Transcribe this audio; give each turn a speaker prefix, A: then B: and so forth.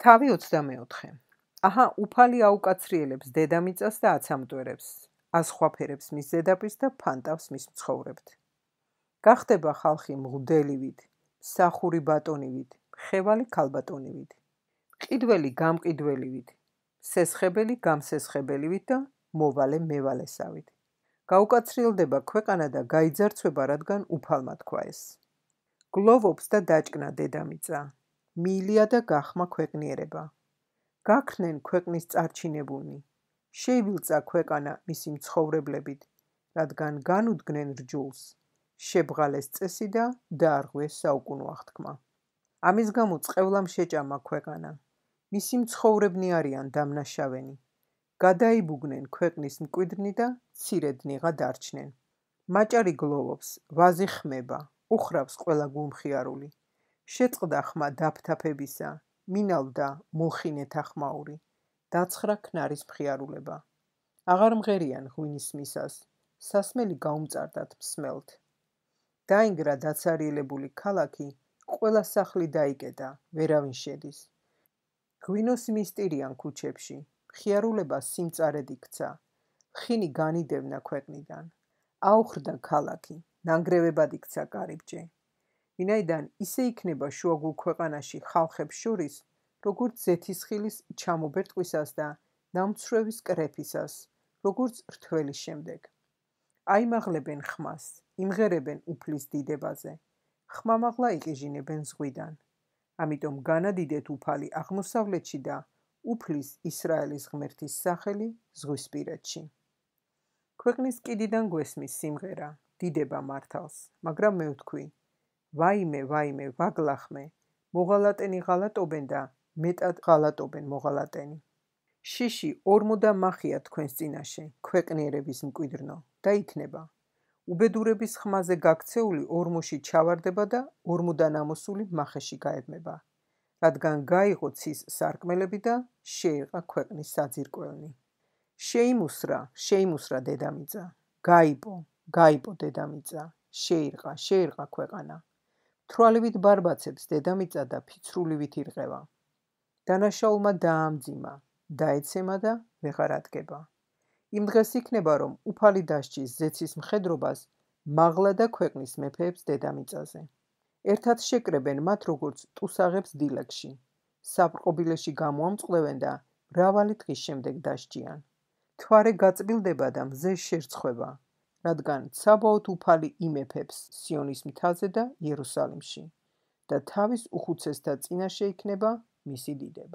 A: თავი 24. აჰა, უფალი აუკაცრიელებს დედამიწას და აცამტვერებს, აზხვაფერებს მის ზედაპირს და ფანტავს მის მცხოვრებთ. გახდება ხალხი მღვდელივით, მსახური ბატონივით, ხევალი ქალბატონივით, მყიდველი გამყიდველივით, სესხებელი გამსესხებელივით და მოვალე მევალესავით. გაუკაცრიელდება ქვეყანა და გაიძარცვება, რადგან უფალმა თქვა ეს. გლოვობს და დაჭკნა დედამიწა, მიილია და გახმა ქვეყნიერება. გაქრნენ ქვეყნის წარჩინებულნი, შეივილწა ქვეყანა მისი მცხოვრებლებით, რადგან განუდგნენ რჯულს, შებრალეს წესი და დაარღვიეს საუკუნო აღთქმა. ამის გამო წყევლამ შეჭამა ქვეყანა, მისი მცხოვრებნი არიან დამნაშავენი. გადაიბუგნენ ქვეყნის მკვიდრნი და მცირედნიღა დარჩნენ. მაჭარი გლოვობს, ვაზი ხმება, უხრავს ყველა გულმხიარული. შეწყდა ხმა დაფთაფებისა, მინავდა მულხინეთა ხმაური, დაცხრა ქნარის მხიარულება. აღარ მღერიან ღვინის მისას, სასმელი გაუმწარდათ მსმელთ. დაინგრა დაცარიელებული ქალაქი, ყველა სახლი დაიკეტა, ვერავინ შედის. ღვინოს მისტირიან ქუჩებში, მხიარულება სიმწარედ იქცა, ხინი განიდევნა ქვეყნიდან. აუხრდა ქალაქი, ნანგრევებად იქცა კარიბჭე. ვინაიდან ისე იქნება შუაგულ ქვეყანაში ხალხებს შორის, როგორც ზეთისხილის ჩამობერტყვისას და ნამცრევის კრეფისას, როგორც რთველის შემდეგ. აიმაღლებენ ხმას, იმღერებენ უფლის დიდებაზე, ხმამაღლა იყიჟინებენ ზღვიდან. ამიტომ განადიდეთ უფალი აღმოსავლეთში და უფლის ისრაელის ღმერთის სახელი ზღვისპირეთში. ქვეყნის კიდიდან გვესმის სიმღერა, დიდება მართალს, მაგრამ მე ვთქვი, ვაიმე, ვაიმე, ვაგლახმე, მოღალატენი ღალატობენ და მეტად ღალატობენ მოღალატენი. შიში ორმო და მახია თქვენს წინაშე, ქვეყნიერების მკვიდრნო, და იქნება. უბედურების ხმაზე გაქცეული ორმოში ჩავარდება და ორმოდან ამოსული მახეში გაებმება, რადგან გაიღო ცის სარკმელები და შეირყა ქვეყნის საძირკველნი. შეიმუსრა, შეიმუსრა დედამიწა, გაიპო, გაიპო დედამიწა, შეირყა ქვეყანა. თვალივით ბარბაცებს დედამიწა და ფიცრულივით ირღევა. დანაშაულმა დაამძიმა, დაეცემა და ვეღარ ადგება. იმ დღეს იქნება, რომ უფალი დასჯის ზეცის მხედრობას მაღლა და ქვეყნის მეფეებს დედამიწაზე. ერთად შეკრებენ მათ, როგორც ტუსაღებს დილეგში. საბრყობილეში გამოამწყლევენ და მრავალი დღის შემდეგ დასჯიან. თვარე გაწბილდება და მზე შერცხვება, რადგან ცაბაოთ უფალი იმეფებს სიონის მთაზე და იერუსალიმში და თავის უხუცესთა წინაშე იქნება მისი დიდება.